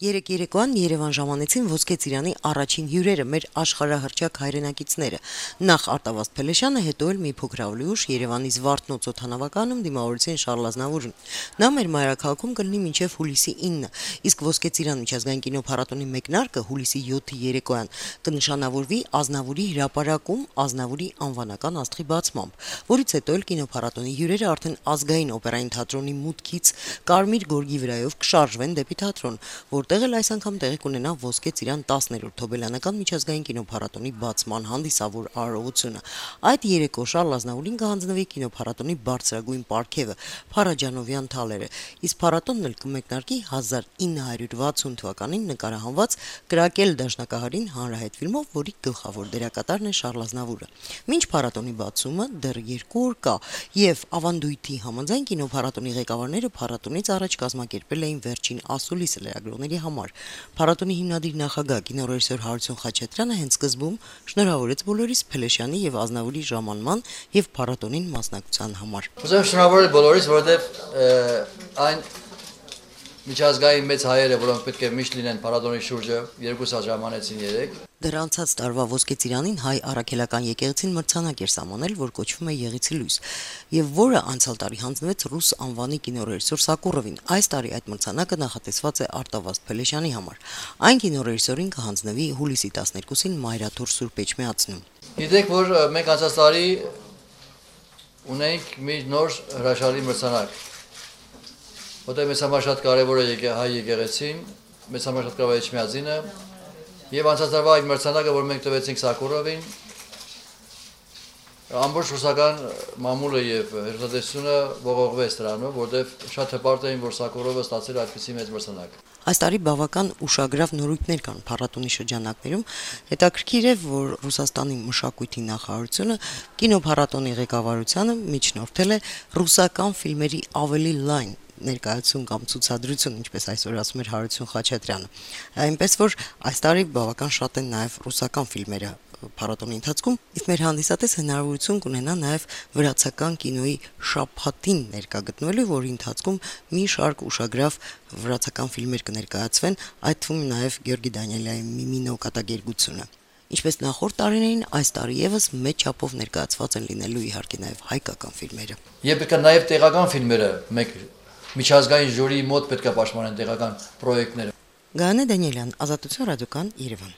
Երեկ երեկոյան Երևան ժամանեցին Ոսկե ծիրանի առաջին հյուրերը մեր աշխարհահռչակ հայրենակիցները։ Նախ Արտավազդ Փելեշյանը, հետո էլ մի փոքր ավելի ուշ Երևանի Զվարթնոց օդանավականում դիմավորեցին Շարլ Ազնավուրին։ Նա մեր մայրաքաղաքում կլինի մինչև հուլիսի 9, իսկ Ոսկե ծիրան միջազգային կինոփառատոնի մեկնարկը հուլիսի 7-ի երեկոյան կնշանավորվի Ազնավուրի հրապարակում Ազնավուրի անվանական աստղի բացմամբ, որից հետո էլ կինոփառատոնի հյուրերը արդեն Ազգային օպերային թատրոնի մուտքից Կարմիր գորգի վրայով կշարժվեն դեպի թատրոն, որտեղ էլ այս անգամ տեղի կունենա Ոսկե ծիրան 10-րդ Թոբելյանական միջազգային կինոփառատոնի բացման հանդիսավոր արարողությունը։ Այդ երեկո Շարլ Ազնավուրին կհանձնվի կինոփառատոնի բարձրագույն պարգևը՝ Փարաջանովյան թալերը, իսկ փառատոնն էլ կմեկնարկի 1960 թվականին նկարահանված Կրակել դաշնակահարին հանրահայտ ֆիլմով, որի գլխավոր դերակատարն է Շարլ Ազնավուրը։ Մինչ փառատոնի բացումը դեռ 2 օր կա, եւ ավանդույթի համաձայն կինոփառատոնի ղեկավարները փառատոնից առաջ կազմակերպել էին վերջին ասուլիսը լրագրողների համար։ Փառատոնի հիմնադիր նախագահ կինոռեժիսոր Հարություն Խաչատրյանը հենց սկզբում շնորհավորեց բոլորիս Փելեշյանի եւ Ազնավուրի ժամանման եւ փառատոնին մասնակցության համար։ Ուզում շնորհավորել բոլորիս, որովհետեւ այն միջազգային մեծ հայերը, որոնք պետք է միշտ լինեն փառատոնի շուրջը, 2 սա ժամանեցին երեք։ Դեռ անցած տարվա Ոսկե ծիրանին հայ առաքելական եկեղեցին մրցանակ էր սահմանել, որ կոչվում է Եղեցի լույս, եւ որը անցյալ տարի հանձնվեց ռուս անվանի կինոռեժիսոր Սակուրովին։ Այս տարի այդ մրցանակը նախատեսված է Արտավազդ Փելեշյանի համար։ Այն կինոռեժիսորին կհանձնվի հուլիսի 12-ին Մայրաթոր Սուրբ Էջմիածնում։ Գիտեք, որ մենք անցած տարի ունենք մի նոր հրաշալի մրցանակ, որտեղ մեծ համար շատ կարևոր է հայ եկեղեցին, մեծ համար շատ կարևոր է Էջմիածինը, եւ անցած տարվա այդ մրցանակը, որ մենք տվեցինք Սակուրովին, ամբողջ ռուսական մամուլը եւ հերթադեսությունը ողողվեց դրանով, որտեղ շատ հպարտ էին, որ Սակուրովը ստացել այդպիսի մեծ մրցանակ։ Այս տարի բավական ուշագրավ նորույթներ կան փառատոնի շրջանակներում։ Հետաքրքիր է, որ Ռուսաստանի մշակույթի նախարարությունը կինոփառատոնի ղեկավարությանը միջնորդել է ռուսական ֆիլմերի ավելի լայն ներկայացում կամ ցուցադրություն, ինչպես այսօր ասում էր Հարություն Խաչատրյանը։ Այնպես որ այս տարի բավական շատ են նաև ռուսական ֆիլմերը փառատոնի ընթացքում, իսկ մեր հանդիսատես հնարավորություն կունենա նաև վրացական կինոյի շաբաթին ներկա գտնվելու, որի ընթացքում մի շարք ուշագրավ վրացական ֆիլմեր կներկայացվեն, այդ թվում նաև Գյորգի Դանիելյանի Միմինո կատակերգությունը։ Ինչպես նախորդ տարիներին, այս տարի եւս մեծ չափով ներկայացված են լինելու իհարկե նաև հայկական ֆիլմերը։ Եվ պետք է նաև տեղական ֆիլմերը մեկ միջազգային ժյուրիի մոտ պետք է պաշտպանեն տեղական պրոյեկտները։ Գայանե Դանիելյան, Ազատություն ռադիոկան, Երևան։